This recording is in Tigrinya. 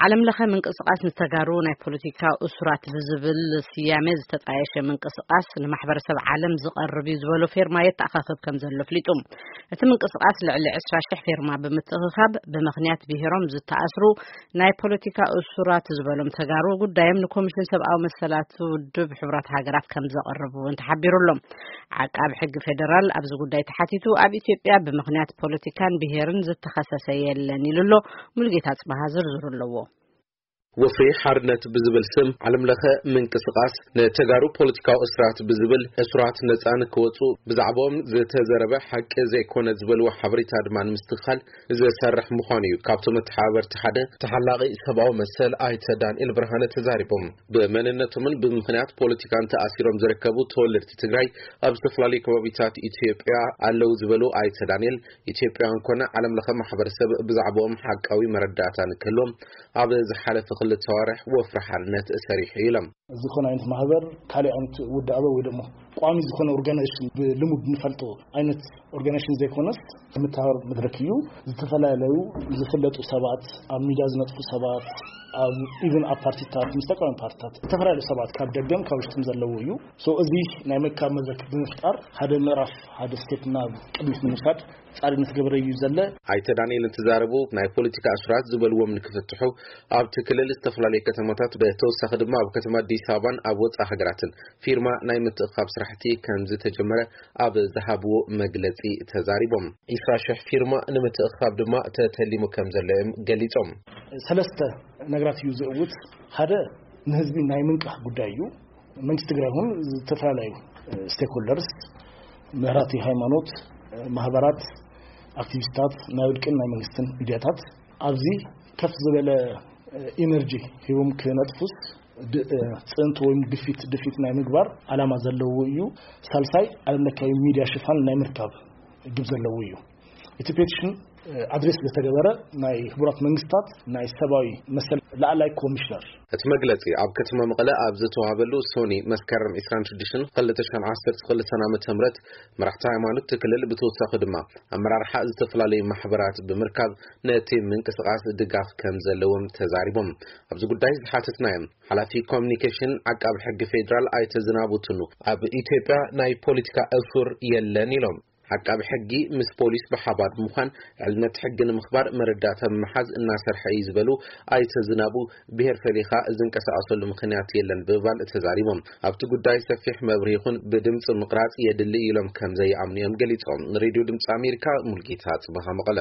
ዓለም ለኸ ምንቅስቃስ ንተጋሩ ናይ ፖለቲካ እሱራት ብዝብል ስያሜ ዝተጣየሸ ምንቅስቃስ ንማሕበረሰብ ዓለም ዝቐርብ እዩ ዝበሎ ፌርማ የተኣኻኸብ ከም ዘሎ ኣፍሊጡ። እቲ ምንቅስቃስ ልዕሊ ዕስራ ሽሕ ፌርማ ብምትእኽኻብ ብምኽንያት ብሄሮም ዝተኣስሩ ናይ ፖለቲካ እሱራት ዝበሎም ተጋሩ ጉዳዮም ንኮሚሽን ሰብኣዊ መሰላት ውድብ ሕቡራት ሃገራት ከም ዘቐርቡ እውን ተሓቢሩ ኣሎ። ዓቃብ ሕጊ ፌደራል ኣብዚ ጉዳይ ተሓቲቱ ኣብ ኢትዮጵያ ብምኽንያት ፖለቲካን ብሄርን ዝተኸሰሰ የለን ኢሉ ኣሎ። ሙሉጌታ ጽባሃ ዝርዝሩ ኣለዎ። ወፍሪ ሓርነት ብዝብል ስም ዓለም ለኸ ምንቅስቃስ ንተጋሩ ፖለቲካዊ እስራት ብዝብል እሱራት ነፃ ንክወፁ ብዛዕባኦም ዝተዘረበ ሓቂ ዘይኮነ ዝበልዎ ሓበሬታ ድማ ንምስትኽኻል ዝሰርሕ ምዃኑ እዩ ካብቶም መተሓባበርቲ ሓደ ተሓላቒ ሰብኣዊ መሰል ኣይተ ዳንኤል ብርሃነ ተዛሪቦም። ብመንነቶምን ብምኽንያት ፖለቲካን ተኣሲሮም ዝርከቡ ተወለድቲ ትግራይ ኣብ ዝተፈላለዩ ከባቢታት ኢትዮጵያ ኣለዉ ዝበሉ ኣይተ ዳንኤል፣ ኢትዮጵያውያን ኮነ ዓለም ለኸ ማሕበረሰብ ብዛዕባኦም ሓቃዊ መረዳእታ ንክህልዎም ኣብ ዝሓለፈ ክልተ ኣዋርሕ ወፍሪ ሓርነት ሰሪሑ ኢሎም። ዝኾነ ዓይነት ማህበር ካልእ ዓይነት ውዳበ ወይ ደሞ ቋሚ ዝኾነ ኦርጋናይዜሽን ብልሙድ ንፈልጦ ዓይነት ኦርጋናይዜሽን ዘይኮነስ ምትሃር መድረክ እዩ። ዝተፈላለዩ ዝፍለጡ ሰባት፣ ኣብ ሚዲያ ዝነጥፉ ሰባት፣ ኣብ ኢቨን ኣብ ፓርቲታት ምስ ተቃዋሚ ፓርቲታት ዝተፈላለዩ ሰባት ካብ ደገም ካብ ውሽጥን ዘለዎ እዩ። ሶ እዚ ናይ ምክካብ መድረክ ብምፍጣር ሓደ ምዕራፍ ሓደ ስቴፕ ናብ ቅድሚት ንምውሳድ ጻዕሪ ምስ ገበረ እዩ ዘለ። ኣይተ ዳንኤል እንትዛረቡ ናይ ፖለቲካ እሱራት ዝበልዎም ንክፍትሑ ኣብቲ ክልል ዝተፈላለዩ ከተማታት ብተወሳኺ ድማ ኣብ ከተማ ኣዲስ ኣበባን ኣብ ወፃኢ ሃገራትን ፊርማ ናይ ምትእኻብ ስራሕቲ ከም ዝተጀመረ ኣብ ዝሃብዎ መግለፂ ተዛሪቦም። ዒስራ ሽሕ ፊርማ ንምትእኻብ ድማ ተተሊሙ ከም ዘሎ እዮም ገሊፆም። ሰለስተ ነገራት እዩ ዝእውት። ሓደ ንህዝቢ ናይ ምንቃሕ ጉዳይ እዩ። መንግስቲ ትግራይ ይኹን ዝተፈላለዩ ስቴክሆልደርስ፣ መራሕቲ ሃይማኖት፣ ማህበራት፣ ኣክቲቪስታት፣ ናይ ውልቅን ናይ መንግስትን ሚድያታት ኣብዚ ከፍ ዝበለ ኢነርጂ ሂቦም ክነጥፉስ ድ- ጽዕንቶ ወይም ግፊት ድፊት ናይ ምግባር ዓላማ ዘለዎ እዩ። ሳልሳይ ዓለም ለካዊ ሚድያ ሽፋን ናይ ምርካብ ግብ ዘለዎ እዩ። እቲ ፔቲሽን ኣድሬስ ዝተገበረ ናይ ሕቡራት መንግስታት ናይ ሰብኣዊ መሰል ላዕላይ ኮሚሽነር። እቲ መግለጺ ኣብ ከተማ መቐለ ኣብ ዝተዋህበሉ ሶኒ መስከረም ዕስራን ሽዱሽተን ክልተ ሽሕን ዓሰርተ ክልተን ዓመተ ምህረት መራሕቲ ሃይማኖት እቲ ክልል ብተወሳኺ ድማ ኣመራርሓ ዝተፈላለዩ ማሕበራት ብምርካብ ነቲ ምንቅስቃስ ድጋፍ ከም ዘለዎም ተዛሪቦም። ኣብዚ ጉዳይ ዝሓተትናዮም ሓላፊ ኮሚኒኬሽን ዓቃቢ ሕጊ ፌዴራል ኣይተ ዝናቡ ቱኑ ኣብ ኢትዮጵያ ናይ ፖለቲካ እሱር የለን ኢሎም። ዓቃቢ ሕጊ ምስ ፖሊስ ብሓባር ብምዃን ልዕልነት ሕጊ ንምኽባር መረዳእታ ብምሓዝ እናሰርሐ እዩ ዝበሉ ኣይተ ዝናቡ፣ ብሄር ፈሊኻ ዝንቀሳቐሰሉ ምኽንያት የለን ብምባል ተዛሪቦም። ኣብቲ ጉዳይ ሰፊሕ መብርሂ ይኹን ብድምፂ ምቕራፅ የድሊ ኢሎም ከም ዘይኣምኑ እዮም ገሊፆም። ንሬድዮ ድምፂ ኣሜሪካ ሙልጌታ ፅበኻ መቐለ።